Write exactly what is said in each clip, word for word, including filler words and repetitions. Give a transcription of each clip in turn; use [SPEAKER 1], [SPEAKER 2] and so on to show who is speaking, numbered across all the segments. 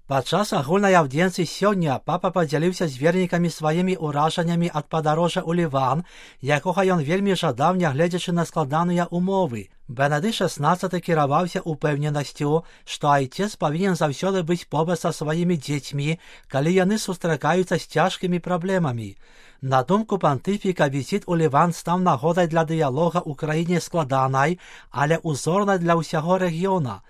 [SPEAKER 1] Падчас агульнай аўдзіенцыі сёння папа падзяліўся з вернікамі сваімі ўражаннямі ад падарожжа ў Ліван, якога ён вельмі жадаў, нягледзячы на складаныя умовы. Бенедыкт шаснаццаты кіраваўся упэўненасцю, што айцец павінен заўсёды быць побач са сваімі дзецьмі, калі яны сустракаюцца з цяжкімі праблемамі. На думку пантыфіка, візіт у Ліван стаў нагодай для дыялога ў краіне складанай, але узорнай для ўсяго рэгіёна.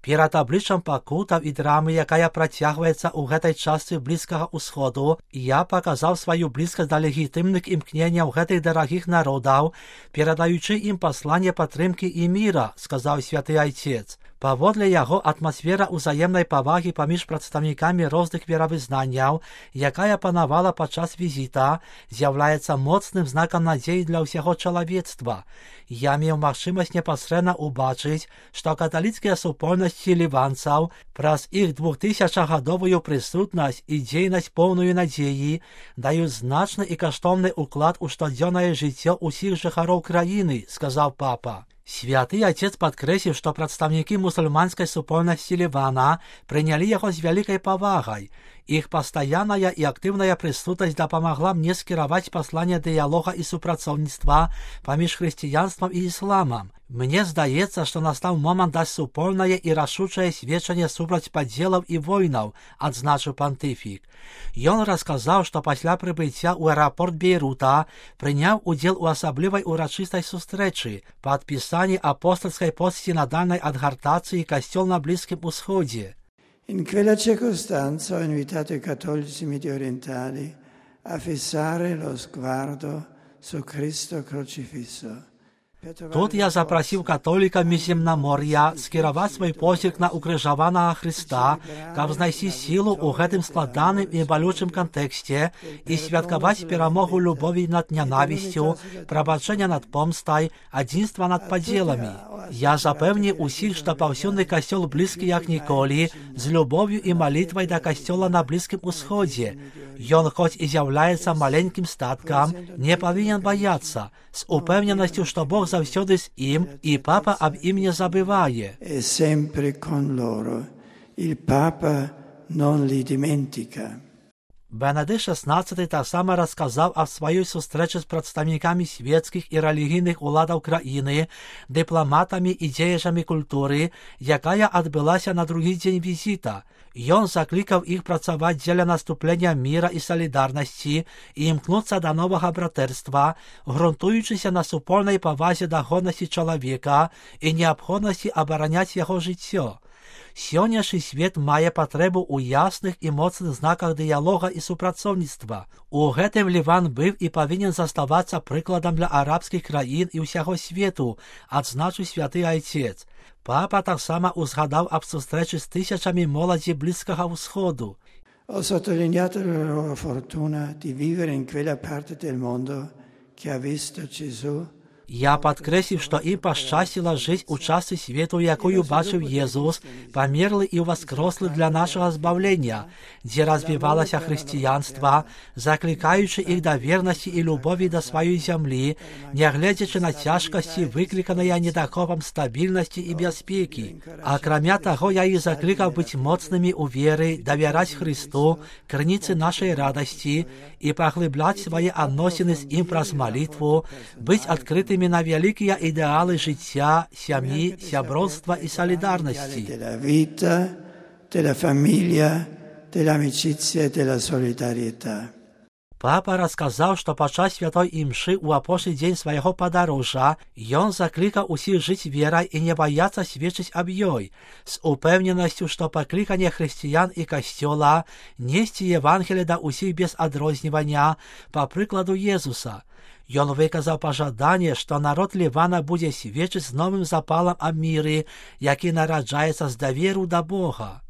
[SPEAKER 1] Перад абліччам пакутаў і драмы, якая працягваецца ў гэтай частцы Блізкага ўсходу, я паказаў сваю блізкасць да легітымных імкненняў гэтых дарагіх народаў, перадаючы ім пасланне падтрымкі і міра, сказаў святы айцец. Паводле яго, атмасфера ўзаемнай павагі паміж прадстаўнікамі розных веравызнанняў, якая панавала падчас візіта, з'яўляецца моцным знакам надзеі для ўсяго чалавецтва. Я меў магчымасць непасрэдна ўбачыць, што каталіцкія супольнасці ліванцаў праз іх двухтысячагадовую прысутнасць і дзейнасць поўную надзеі даюць значны і каштоўны ўклад у штодзённае жыццё ўсіх жыхароў краіны, сказаў папа. Святы айцец падкрэсліў, што прадстаўнікі мусульманскай супольнасці Лівана прынялі яго з вялікай павагай. Іх пастаянная і актыўная прысутнасць дапамагла мне скіраваць пасланне дыялога і супрацоўніцтва паміж хрысціянствам і ісламам. Мне здаецца, што настаў момант даць супольнае і рашучае сведчанне супраць падзелаў і войнаў, адзначыў пантыфік. Ён расказаў, што пасля прыбыцця ў аэрапорт Бейрута прыняў удзел у асаблівай урачыстай сустрэчы, падпісанні апостольскай постсінадальнай адгартацыі касцёл на Блізкім Усходзе.
[SPEAKER 2] In quella circostanza ho invitato i cattolici mediorientali a fissare lo sguardo su Cristo crocifisso.
[SPEAKER 1] Тут я запрасіў католікаў Міжземнамор'я скіраваць свой позірк на укрыжаванага Хрыста, каб знайсці сілу ў гэтым складаным і балючым кантэксце і святкаваць перамогу любові над нянавісцю, прабачэння над помстай, адзінства над падзеламі. Я запэўніў усіх, што паўсюдны касцёл блізкі як ніколі, з любов'ю і малітвай да касцёла на Блізкім Усходзе. Ён, хоць і з'яўляецца маленькім статкам, не павінен баяцца, з упэўненасцю, што Бог заўсёды з ім, і папа аб ім не забывае.
[SPEAKER 2] È sempre con loro. Il Papa non li dimentica.
[SPEAKER 1] Бенедыкт шаснаццаты таксама расказаў аб сваёй сустрэчы з прадстаўнікамі свецкіх і рэлігійных уладаў краіны, дыпламатамі і дзеячамі культуры, якая адбылася на другі дзень візіта. Ён заклікаў іх працаваць дзеля наступлення міра і салідарнасці і імкнуцца да новага братэрства, грунтуючыся на супольнай павазе да годнасці чалавека і неабходнасці абараняць яго жыццё. Сённяшні свет мае патрэбу ў ясных і моцных знаках дыялога і супрацоўніцтва. У гэтым Ліван быў і павінен заставацца прыкладам для арабскіх краін і ўсяго свету, адзначыў святы айцец. Папа таксама узгадаў аб сустрэчы з тысячамі моладзі Блізкага ўсходу.
[SPEAKER 2] Ho sottolineato la loro fortuna di vivere in quella parte del mondo che ha visto Gesù.
[SPEAKER 1] Я падкрэсліў, што ім пашчасціла жыць у частцы свету, якую бачыў Езус, памерлы і ўваскрослы для нашага збаўлення, дзе развівалася хрысціянства, заклікаючы іх да вернасці і любові да сваёй зямлі, нягледзячы на цяжкасці, выкліканыя недахопам стабільнасці і бяспекі. Акрамя таго, я іх заклікаў быць моцнымі ў веры, давяраць Хрысту, крыніцы нашай радасці і паглыбляць свае адносіны з ім праз малітву, быць адкрытымі на вялікія ідэалы жыцця, сям'і, сяброўства і салідарнасці.
[SPEAKER 2] Della vita, della famiglia, dell'amicizia e della solidarietà.
[SPEAKER 1] Папа расказаў, што падчас святой імшы ў апошні дзень свайго падарожжа ён заклікаў усіх жыць верай і не баяцца сведчыць аб ёй, з упэўненасцю, што пакліканне хрысціян і касцёла несці Евангелие да ўсіх без адрознівання, па прыкладу Езуса. Ён выказаў пажаданне, што народ Лівана будзе сведчыць з новым запалам аб міры, які нараджаецца з даверу да Бога.